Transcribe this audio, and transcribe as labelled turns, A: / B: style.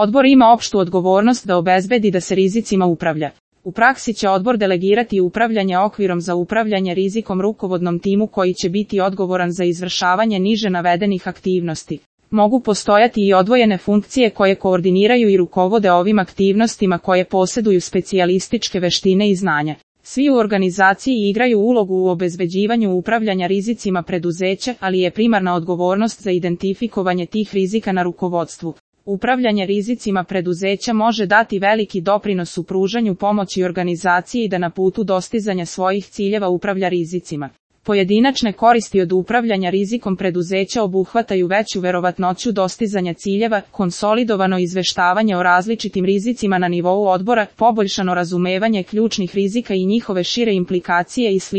A: Odbor ima opštu odgovornost da obezbedi da se rizicima upravlja. U praksi će odbor delegirati upravljanje okvirom za upravljanje rizikom rukovodnom timu koji će biti odgovoran za izvršavanje niže navedenih aktivnosti. Mogu postojati i odvojene funkcije koje koordiniraju i rukovode ovim aktivnostima koje posjeduju specijalističke veštine i znanja. Svi u organizaciji igraju ulogu u obezbeđivanju upravljanja rizicima preduzeća, ali je primarna odgovornost za identifikovanje tih rizika na rukovodstvu. Upravljanje rizicima preduzeća može dati veliki doprinos u pružanju pomoći organizaciji da na putu dostizanja svojih ciljeva upravlja rizicima. Pojedinačne koristi od upravljanja rizikom preduzeća obuhvataju veću verovatnoću dostizanja ciljeva, konsolidovano izveštavanje o različitim rizicima na nivou odbora, poboljšano razumevanje ključnih rizika i njihove šire implikacije i sl.